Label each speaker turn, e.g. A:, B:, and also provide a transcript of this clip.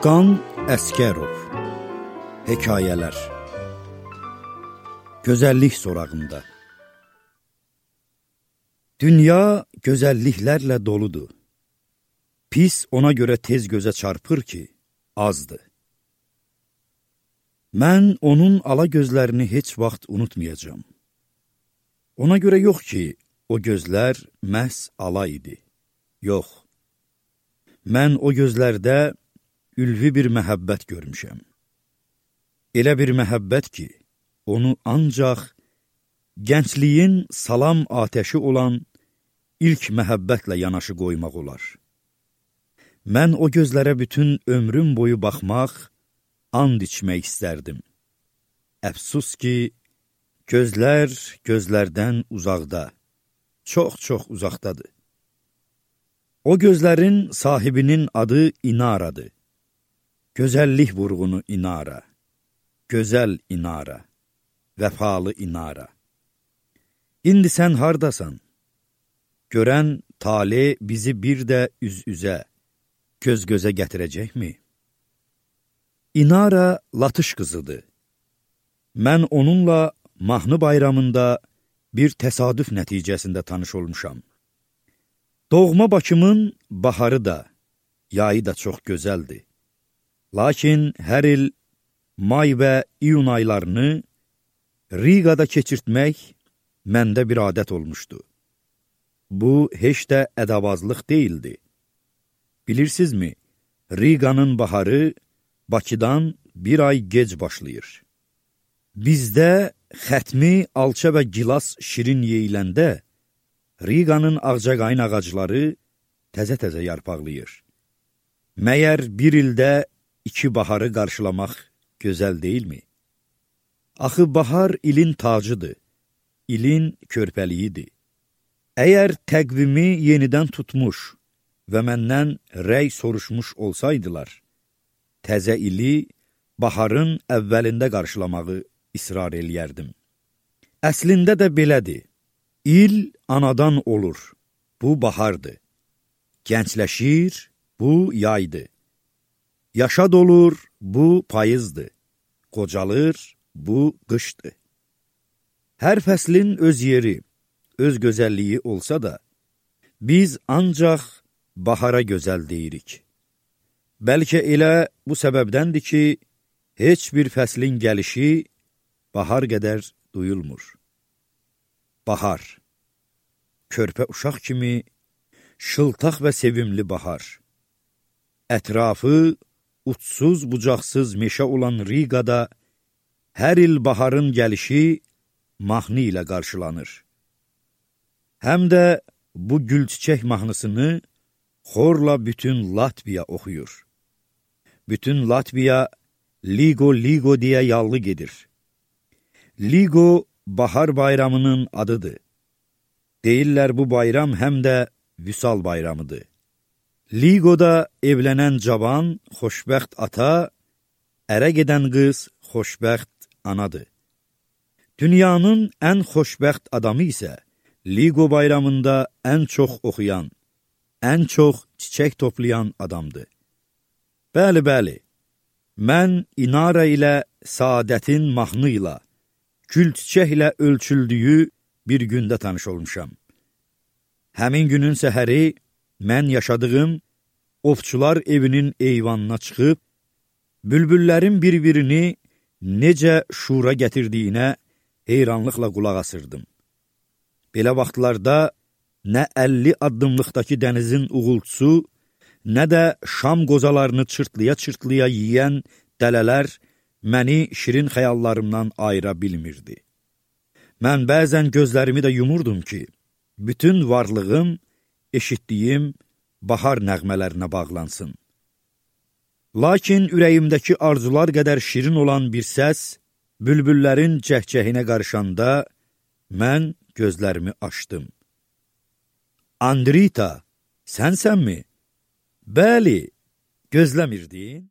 A: Özkan Əskərov. Hekayələr. Gözəllik sorağında. Dünya gözəlliklərlə doludur. Pis ona görə tez gözə çarpır ki, azdır. Mən onun ala gözlərini heç vaxt unutmayacağım. Ona görə yox ki, o gözlər məhz ala idi. Yox. Mən o gözlərdə ülvi bir məhəbbət görmüşəm. Elə bir məhəbbət ki, onu ancaq gəncliyin salam atəşi olan ilk məhəbbətlə yanaşı qoymaq olar. Mən o gözlərə bütün ömrüm boyu baxmaq, and içmək istərdim. Əfsus ki, gözlər gözlərdən uzaqda, çox uzaqdadır. O gözlərin sahibinin adı İnaradır. Gözəllik vurğunu İnara, gözəl İnara, vəfalı İnara. İndi sən hardasan? Görən tale bizi bir də üz-üzə, göz-gözə gətirəcəkmi? İnara Latış qızıdır. Mən onunla mahnı bayramında bir təsadüf nəticəsində tanış olmuşam. Doğma Bakımın baharı da, yayı da çox gözəldir. Lakin hər il may və iyun aylarını Rigada keçirtmək məndə bir adət olmuşdu. Bu, heç də ədavazlıq deyildi. Bilirsinizmi, Riganın baharı Bakıdan bir ay gec başlayır. Bizdə xətmi, alça və gilas şirin yeyiləndə Riganın ağcaqayın ağacları təzə-təzə yarpaqlayır. Məyər bir ildə 2 baharı qarşılamaq gözəl deyilmi? Axı bahar ilin tacıdır, ilin körpəliyidir. Əgər təqvimi yenidən tutmuş və məndən rəy soruşmuş olsaydılar, təzə ili baharın əvvəlində qarşılamağı israr eləyərdim. Əslində də belədir. İl anadan olur, bu bahardır. Gəncləşir, bu yaydır. Yaşad olur, bu payızdır. Qocalır, bu qışdır. Hər fəslin öz yeri, öz gözəlliyi olsa da, biz ancaq bahara gözəl deyirik. Bəlkə elə bu səbəbdəndir ki, heç bir fəslin gəlişi bahar qədər duyulmur. Bahar, körpə uşaq kimi şıltaq və sevimli bahar. Ətrafı uçsuz bucaqsız meşə olan Rigada hər il baharın gəlişi mahnı ilə qarşılanır. Həm də bu gülçiçək mahnısını xorla bütün Latviya oxuyur. Bütün Latviya Ligo deyə yallı gedir. Ligo bahar bayramının adıdır. Deyirlər bu bayram həm də Vüsal bayramıdır. Ligoda evlənən cavan, xoşbəxt ata, ərə gedən qız xoşbəxt anadır. Dünyanın ən xoşbəxt adamı isə Ligo bayramında ən çox oxuyan, ən çox çiçək toplayan adamdır. Bəli, mən İnara ilə saadətin mahnı ilə, gül çiçəklə ölçüldüyü bir gündə tanış olmuşam. Həmin günün səhəri mən yaşadığım ovçular evinin eyvanına çıxıb, bülbüllərin bir-birini necə şura gətirdiyinə heyranlıqla qulaq asırdım. Belə vaxtlarda nə 50 addımlıqdakı dənizin uğultusu, nə də şam qozalarını çırtlaya-çırtlaya yiyən dələlər məni şirin xəyallarımdan ayıra bilmirdi. Mən bəzən gözlərimi də yumurdum ki, bütün varlığım eşitdiyim bahar nəğmələrinə bağlansın. Lakin ürəyimdəki arzular qədər şirin olan bir səs, bülbüllərin cəhcəhinə qarışanda mən gözlərimi açdım. Andrita, sənsənmi? Bəli, gözləmirdin?